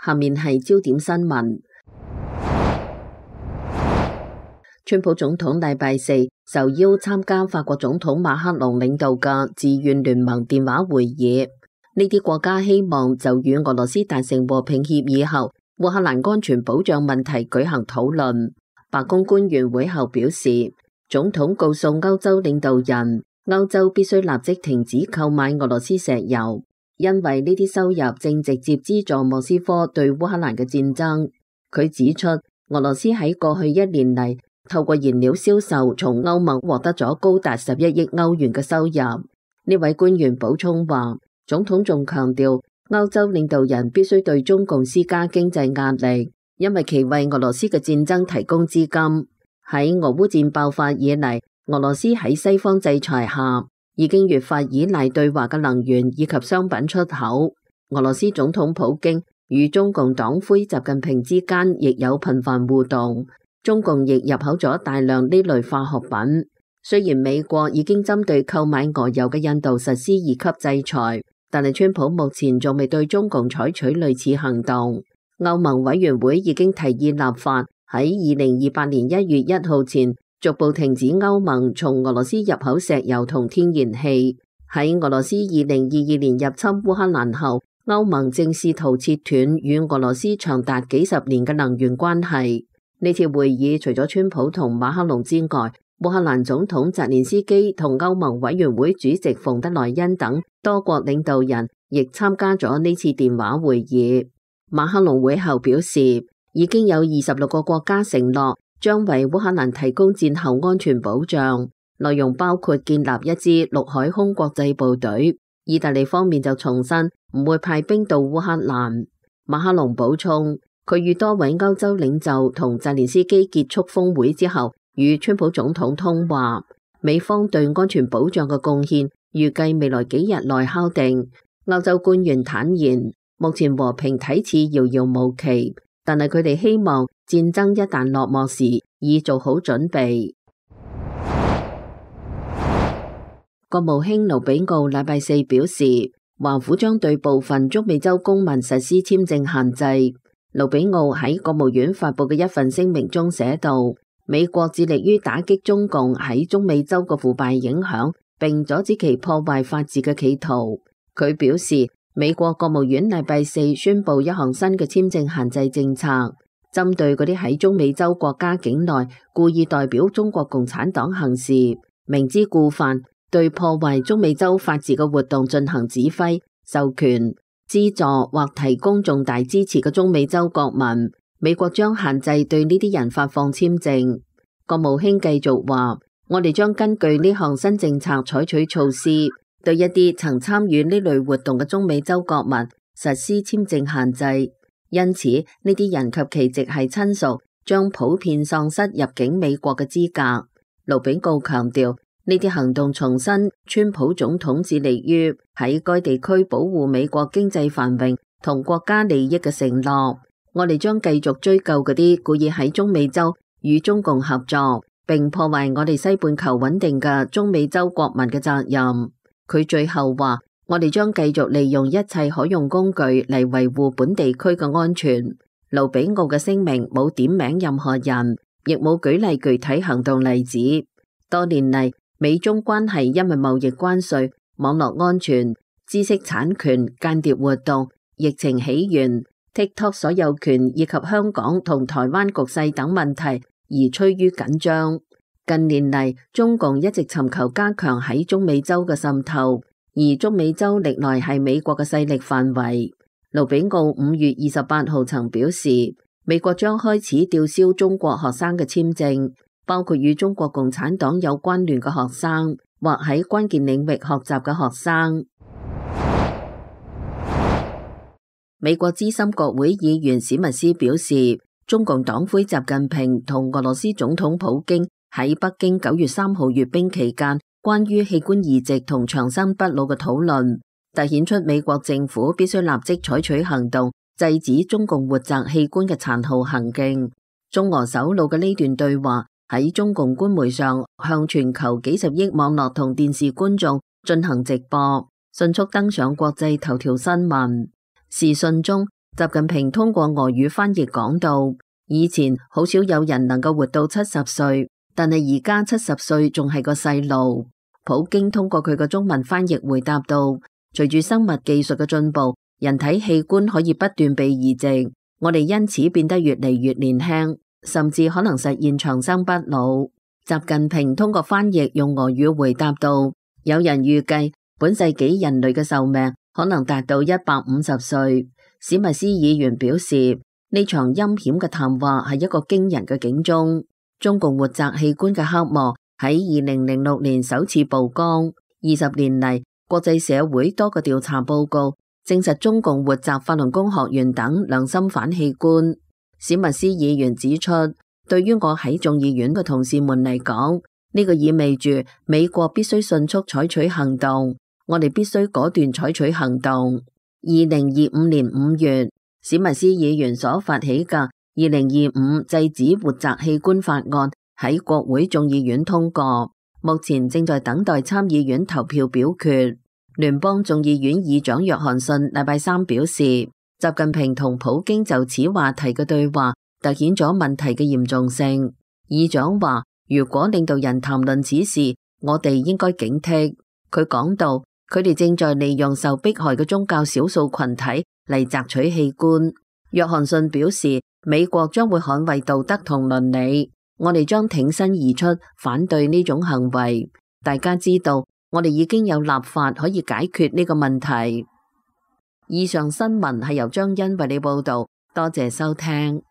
下面係焦點新聞。川普總統禮拜四受邀參加法國總統馬克龍領導嘅自願聯盟電話會議，呢啲國家希望就與俄羅斯達成和平協議後，烏克蘭安全保障問題舉行討論。白宮官員會後表示，總統告訴歐洲領導人，歐洲必須立即停止購買俄羅斯石油，因為呢啲收入正直接資助莫斯科對烏克蘭嘅戰爭。佢指出，俄羅斯喺過去1年嚟透過燃料銷售從歐盟獲得咗高達11億歐元嘅收入。呢位官員補充話，總統仲強調，歐洲領導人必須對中共施加經濟壓力，因為其為俄羅斯嘅戰爭提供資金。喺俄烏戰爆發以嚟，俄羅斯喺西方制裁下，已經越發依賴對華嘅能源以及商品出口。俄羅斯總統普京與中共黨魁習近平之間亦有頻繁互動，中共亦入口咗大量呢類化學品。雖然美國已經針對購買俄油嘅印度實施2級制裁，但係川普目前仲未對中共採取類似行動。歐盟委員會已經提議立法喺2028年1月1號前逐步停止歐盟從俄羅斯入口石油同天然氣。喺俄羅斯2022年入侵烏克蘭後，歐盟正試圖切斷與俄羅斯長達幾十年嘅能源關係。呢次會議除咗川普同馬克龍之外，烏克蘭總統澤連斯基同歐盟委員會主席馮德萊恩等多國領導人亦參加咗呢次電話會議。馬克龍會後表示，已經有26個國家承諾將為烏克蘭提供戰後安全保障，內容包括建立一支陸海空國際部隊。意大利方面就重申唔會派兵到烏克蘭。馬克龍補充，佢與多位歐洲領袖同澤連斯基結束峰會之後，與川普總統通話，美方對安全保障嘅貢獻預計未來幾日內敲定。歐洲官員坦言，目前和平睇似遙遙無期，但係佢哋希望戰爭一旦落幕時已做好準備。國務卿盧比奧禮拜四表示，華府將對部分中美洲公民實施簽證限制。盧比奧喺國務院發佈嘅一份聲明中寫道，美國致力於打擊中共喺中美洲嘅腐敗影響，並阻止其破壞法治嘅企圖。佢表示，美國國務院禮拜四宣布一項新嘅簽證限制政策，針對嗰啲喺中美洲國家境內故意代表中國共產黨行事，明知故犯，對破壞中美洲法治嘅活動進行指揮、授權、資助或提供重大支持嘅中美洲國民，美國將限制對呢啲人發放簽證。國務卿繼續話，我哋將根據呢項新政策採取措施，對一啲曾參與呢類活動嘅中美洲國民實施簽證限制。因此，呢啲人及其直系親屬將普遍喪失入境美國嘅資格。盧比奧強調，呢啲行動重申川普總統致力於喺該地區保護美國經濟繁榮同國家利益嘅承諾。我哋將繼續追究嗰啲故意喺中美洲與中共合作並破壞我哋西半球穩定嘅中美洲國民嘅責任。佢最後話，我哋將繼續利用一切可用工具嚟維護本地區嘅安全。盧比奧嘅聲明冇點名任何人，亦冇舉例具體行動例子。多年嚟，美中關係因為貿易關稅、網絡安全、知識產權、間諜活動、疫情起源、TikTok 所有權以及香港同台灣局勢等問題而趨於緊張。近年嚟，中共一直尋求加強喺中美洲嘅滲透，而中美洲歷來係美國嘅勢力範圍。盧比奧5月28號曾表示，美國將開始吊銷中國學生嘅簽證，包括與中國共產黨有關聯嘅學生或喺關鍵領域學習嘅學生。美國資深國會議員史密斯表示，中共黨魁習近平同俄羅斯總統普京喺北京9月3號閱兵期間關於器官移植同長生不老嘅討論，凸顯出美國政府必須立即採取行動，制止中共活摘器官嘅殘酷行徑。中俄首腦嘅呢段對話喺中共官媒上向全球幾十億網絡同電視觀眾進行直播，迅速登上國際頭條新聞。視訊中，習近平通過俄語翻譯講到，以前好少有人能夠活到70歲，但係而家70歲仲係個細路。普京通過佢個中文翻譯回答到，隨住生物技術嘅進步，人體器官可以不斷被移植，我哋因此變得越嚟越年輕，甚至可能實現長生不老。習近平通過翻譯用俄語回答到，有人預計本世紀人類嘅壽命可能達到150歲。史密斯議員表示，呢場陰險嘅談話係一個驚人嘅警鐘。中共活摘器官嘅黑幕喺2006年首次曝光，20年嚟，國際社會多個調查報告證實中共活摘法輪功學員等良心反器官。史密斯議員指出，對於我喺眾議院嘅同事們嚟講，呢個意味住美國必須迅速採取行動，我哋必須果斷採取行動。2025年5月，史密斯議員所發起嘅2025制止活摘器官法案喺國會眾議院通過，目前正在等待參議院投票表決。聯邦眾議院議長約翰遜禮拜三表示，習近平同普京就此話題嘅對話凸顯咗問題嘅嚴重性。議長話，如果領導人談論此事，我哋應該警惕。佢講到，佢哋正在利用受迫害嘅宗教少數群體嚟摘取器官。約翰遜表示，美國將會捍衛道德同倫理，我哋將挺身而出反對呢種行為。大家知道，我哋已經有立法可以解決呢個問題。以上新聞係由張欣為你報道，多謝收聽。